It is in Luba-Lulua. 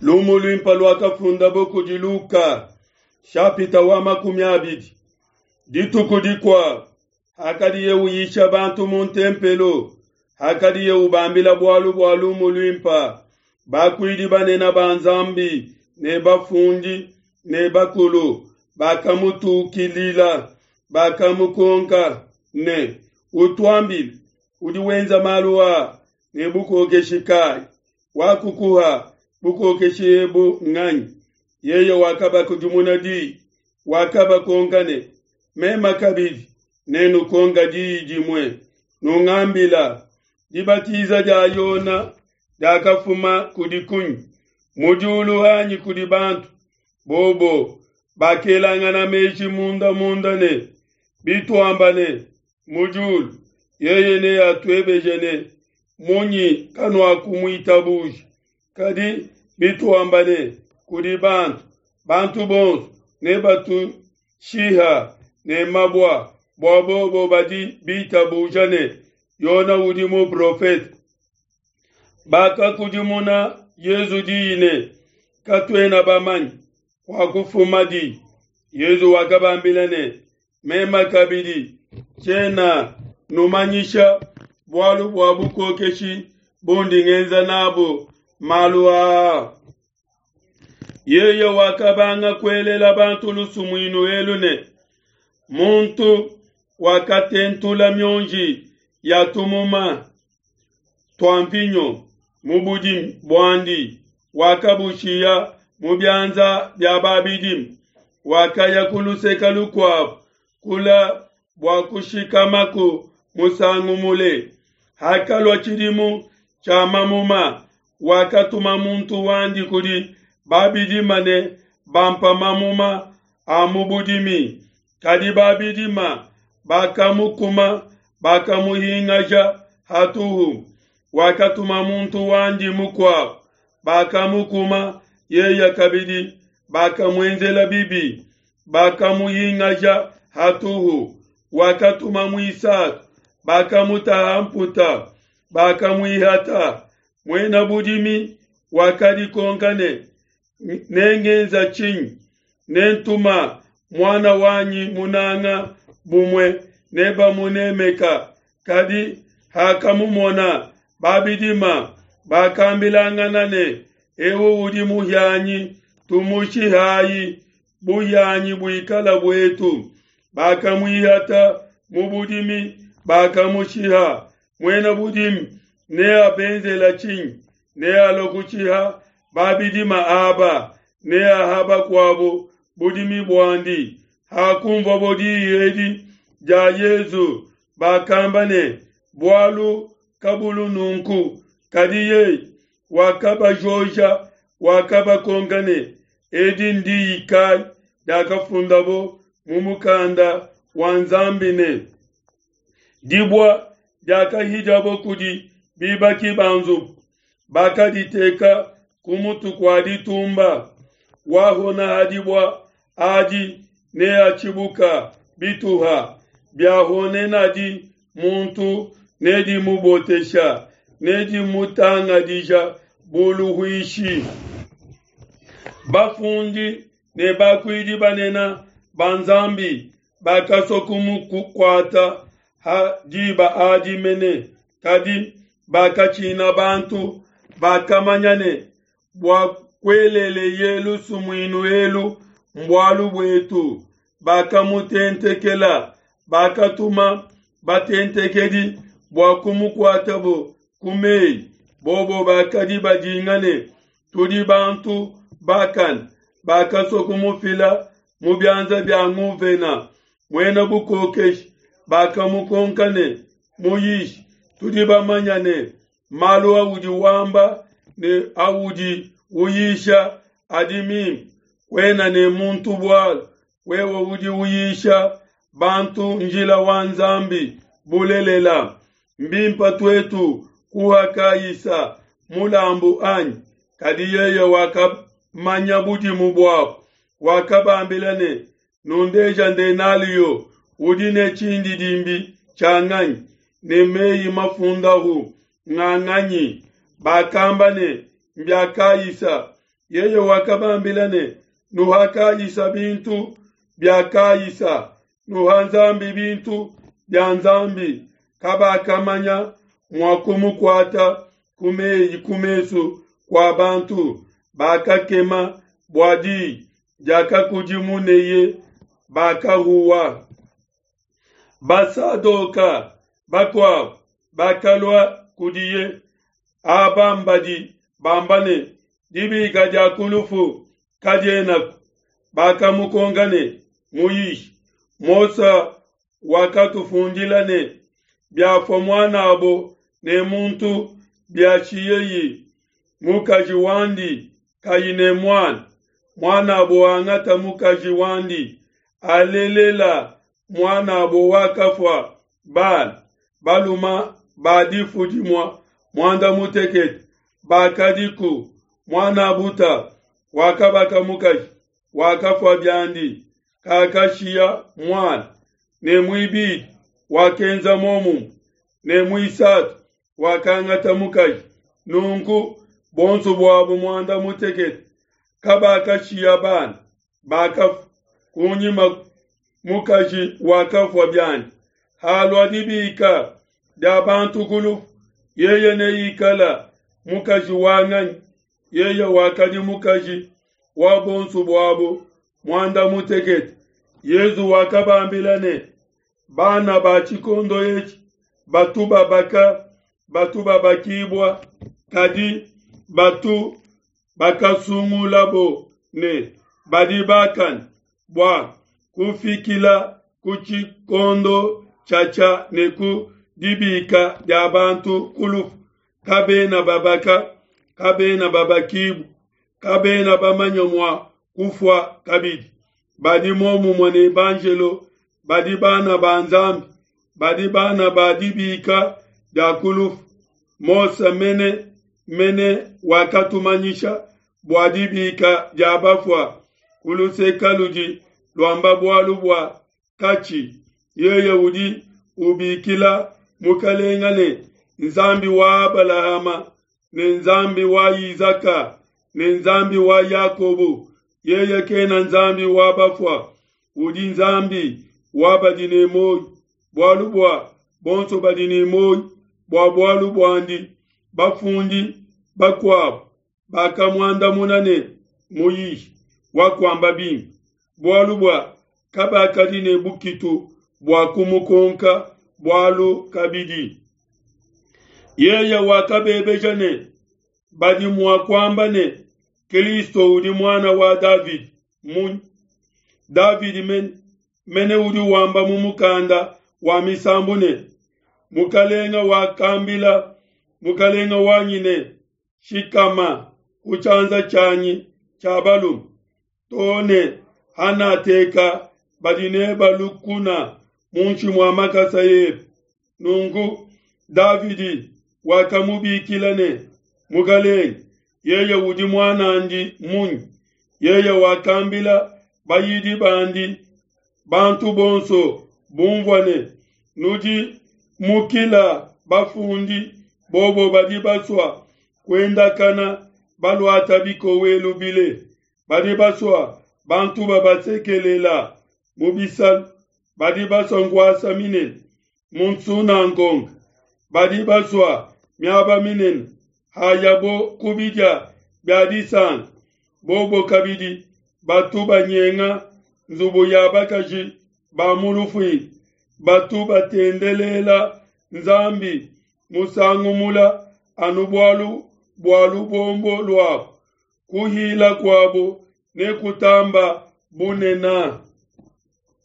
Lumu luimpe luakafundabo kudi Luka, shapita wa 20. Dituku dikuabo, hakadiye uyisha bantu mu ntempelo, hakadiye ubambila bualu bua lumu luimpe, bakuidi banene ba Nzambi ne bafundi ne bakulu bakamutukilila, bakamukonka ne, Utuambile, udi wenza malu a ne bukokeshi kai? Wakukuha bukokeshi ebu nganyi? Yeye wakabakudimuna di, wakabakonka ne, Mema kabidi nenukonka diyi dimue, nungambila, dibatiza dia Yona diakafuma kudi kunyi? Mu diulu anyi kudi bantu? Bobo bakelangana meji munda munda ne, Bituamba ne, Mu diulu, yeye neatuebeje ne, Munyi kanuakumuitabuja? Kadi bituamba ne, Kudi bantu, bantu bonso nebatushiha ne mabua, bua bobo badi bitabuja ne, Yona udi muprofete. Bakakudimuna Yesu diyi ne, Katuena bamanye kuakufuma di. Yesu wakabambila ne, Mema kabidi tshiena numanyisha bualu bua bukokeshi bundi ngenza nabu malu aa. Yeye wakabanga kuelela bantu lusumuinu elu ne, Muntu wakatentula mionji ya tumuma tua mvinyo mu budimi buandi, wakabushiya mu bianza bia babidime, wakaya ku luseke lukuabo kula bua kushikamaku musangu mule. Hakalua tshidimu tshia mamuma, wakatuma muntu wandi kudi babidima ne bampa mamuma a mu budimi. Kadi babidima bakamukuma, bakamuhingaja hatuhu. Wakatuma muntu wandi mukuabo, bakamukuma yeye kabidi, bakamuenzela bibi, bakamuhingaja hatuhu. Wakatuma muisatu, bakamutaha mputa, bakamuihata. Muena budimi wakadikonka ne, Nengenza tshinyi? Nentuma muana wanyi munanga, bumue nebamunemeka. Kadi hakamumona babidima, bakambilangana ne, Eu udi muhianyi, tumushihayi, buhianyi buikala buetu. Bakamuihata mu budimi, bakamushiha. Muena budimi neabenzela tshinyi? Nealue kushiha babidima aba, neaha bakuabo budimi buandi. Hakunvuabo diyi edi dia Yesu, bakamba ne, Bualu kabulu nunku. Kadi yeye wakabajoja, wakabakonka ne, Edi ndiyi kai diakafundabo mu mukanda wa Nzambi ne, Dibua diakahidiabo kudi bibaki ba nzubu, bakaditeka ku mutu kua ditumba. Wahona ha dibua adi neatshibuka bituha, biahonenadi muntu nedimubotesha, nedimutangadija bu luhuishi. Bafundi ne bakuidi banene ba Nzambi bakasua kumukuata ha diba adi mene, kadi bakatshina bantu, bakamanya ne, bua kueleleye lusumuinu elu mbualu buetu. Bakamutentekela, bakatuma batentekedi bua kumukuatabo ku meyi. Bobo bakadi badinga ne, Tudi bantu bakane, bakasua kumufila mu bianza bia nguvena muena bukokeshi. Bakamukonka ne, Muyishi, tudi bamanya ne, malu audi wamba ne audi uyisha adi mimpe, kuena ne muntu bualu, wewe udi uyisha bantu njila wa Nzambi bulelela. Mbimpe tuetu kuha Kaisa mulambu anyi? Kadi yeye wakamanya budimu buabo, wakabambila ne, Nundeja ndenalio, udi ne tshindidimbi tshia nganyi, ne meyi mafundahu nga nganyi? Bakamba ne, Mbia Kaisa. Yeye wakabambila ne, Nuha Kaisa bintu bia Kaisa, nuha Nzambi bintu bia Nzambi. Kabakamanya mua kumukuata ku meyi ku mesu kua bantu, bakakema bua diyi diakakudimuneye, bakahuwa. Basadoka bakuabo bakalua kudiye, aba mbadi bamba ne, Dibika dia ku lufu kadienaku. Bakamukonka ne, Muyishi, Mose wakatufundila ne, Biafua muanabo ne muntu, biashiyeyi mukaji wandi kayi ne muana, muanabo angata mukaji wandi, alelela muanabo wakafua bana baluma ba difu dimua muanda mutekete bakadiku. Muanabuta wakabaka mukaji, wakafua biandi, kakashiya muana. Ne muibidi wakenza muomumue, ne muisatu wakangata mukaji. Nunku bonso buabo muanda mutekete kabakashiya bana, bakafua. Kunyima mukaji wakafua biandi. Halua dibika dia bantu ku lufu, yeye neikala mukaji wa nganyi? Yeye wakadi mukaji wa bonso buabo muanda mutekete. Yezu wakabambila ne, Bana ba tshikondo etshi batu babaka, batu babakibua, kadi batu bakasungulabo ne badi bakane bua kufikila ku tshikondo tshiatshia ne ku dibika dia bantu ku lufu, kabena babaka, kabena babakibua, kabena bamanya mua kufua kabidi. Badi muomumue ne banjelo, badi bana ba Nzambi, badi bana ba dibika dia ku lufu. Mose mene mene wakatumanyisha bua dibika dia bafua ku luseka ludi luamba bualu bua katshi. Yeye udi ubikila Mukalenga ne Nzambi wa Abalahama ne Nzambi wa Izaka ne Nzambi wa Yakobo. Yeye kena Nzambi wa bafua, udi Nzambi wa badi ne muoyo, bualu bua bonso badi ne muoyo bua bualu buandi. Bafundi bakuabo bakamuandamuna ne, Muyishi, wakuamba bimpe. Bualu bua kabakadi ne bukitu bua kumukonka bualu kabidi. Yeye wakabebeja ne, Badi mua kuamba ne, Kristo udi muana wa Davidi munyi? Davidi mene, mene udi wamba mu mukanda wa misambu ne, Mukalenga wakambila mukalenga wanyi ne, Shikama ku tshianza tshianyi tshia balume, too ne hanateka badi neba lukuna muinshi mua makasa ebe. Nunku Davidi wakamubikila ne, Mukalenge, yeye udi muanandi munyi? Yeye wakambila bayidi bandi, bantu bonso bumvua ne, Nudi mukila bafundi, bobo badi basua kuendakana baluata bikowelu bile, badi basua bantu babasekelela mu bisalu, badi basua nkuasa minene mu nsunangonga, badi basua miaba minene hayabo ku bidia bia disanka. Bobo kabidi batu banyenga nzubu ya bakaji ba mu lufuila, batu batendelela Nzambi musangu mula anu bualu bua lubombo luabo. Kuhila kuabo nekutamba bunena.